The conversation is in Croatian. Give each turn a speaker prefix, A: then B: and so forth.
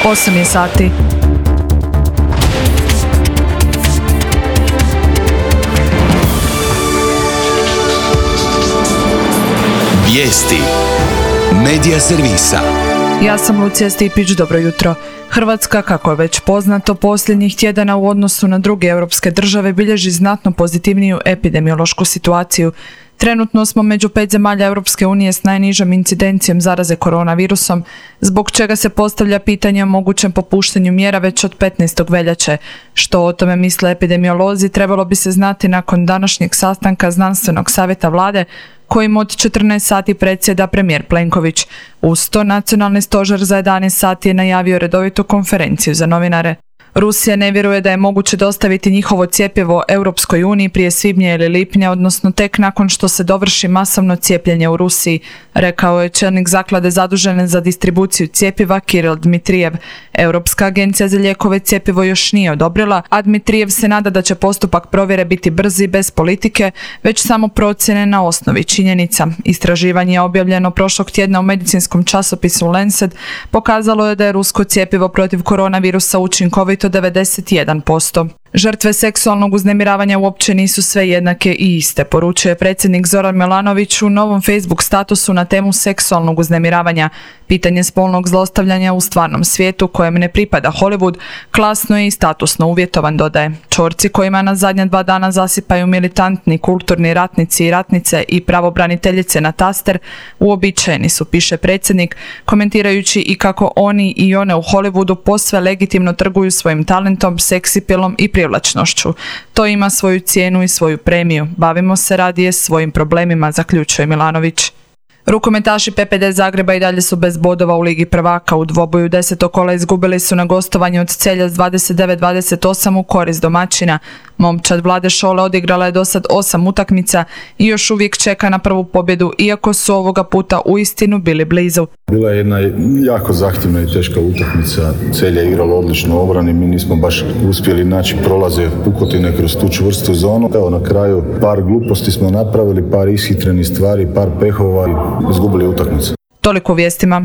A: 8 je sati.
B: Vijesti Medija servisa.
A: Ja sam Lucija Stipić, dobro jutro. Hrvatska, kako je već poznato, posljednjih tjedana u odnosu na druge europske države bilježi znatno pozitivniju epidemiološku situaciju. Trenutno smo među 5 zemalja Europske unije s najnižom incidencijom zaraze koronavirusom, zbog čega se postavlja pitanje o mogućem popuštanju mjera već od 15. veljače. Što o tome misle epidemiolozi trebalo bi se znati nakon današnjeg sastanka Znanstvenog savjeta vlade, kojim od 14 sati predsjeda premijer Plenković. Uz to Nacionalni stožer za 11 sati je najavio redovitu konferenciju za novinare. Rusija ne vjeruje da je moguće dostaviti njihovo cjepivo Europskoj uniji prije svibnja ili lipnja, odnosno tek nakon što se dovrši masovno cijepljenje u Rusiji, rekao je čelnik zaklade zadužene za distribuciju cjepiva Kiril Dmitrijev. Europska agencija za lijekove cjepivo još nije odobrila, a Dmitrijev se nada da će postupak provjere biti brzi, bez politike, već samo procjene na osnovi činjenica. Istraživanje je objavljeno prošlog tjedna u medicinskom časopisu Lancet, pokazalo je da je rusko cjepivo protiv koronavirusa učinkovito 91%. Žrtve seksualnog uznemiravanja uopće nisu sve jednake i iste, poručuje predsjednik Zoran Milanović u novom Facebook statusu na temu seksualnog uznemiravanja. Pitanje spolnog zlostavljanja u stvarnom svijetu, kojem ne pripada Hollywood, klasno je i statusno uvjetovan, dodaje. Čorci kojima na zadnja 2 dana zasipaju militantni kulturni ratnici i ratnice i pravobraniteljice na taster, uobičajeni su, piše predsjednik, komentirajući i kako oni i one u Hollywoodu posve legitimno trguju svojim talentom, seksipilom i privlačnošću. To ima svoju cijenu i svoju premiju. Bavimo se radije svojim problemima, zaključuje Milanović. Rukometaši PPD Zagreba i dalje su bez bodova u Ligi prvaka. U dvoboju 10. kola izgubili su na gostovanju od Celja s 29-28 u korist domaćina. Momčad Vlade Šole odigrala je dosad 8 utakmica i još uvijek čeka na prvu pobjedu, iako su ovoga puta uistinu bili blizu.
C: Bila je jedna jako zahtjevna i teška utakmica. Celje je igralo odlično u obrani, mi nismo baš uspjeli naći prolaze pukotine kroz tu čvrstu zonu. Evo, na kraju par gluposti smo napravili, par ishitrenih stvari, par pehova i izgubili utakmicu.
A: Toliko u vijestima.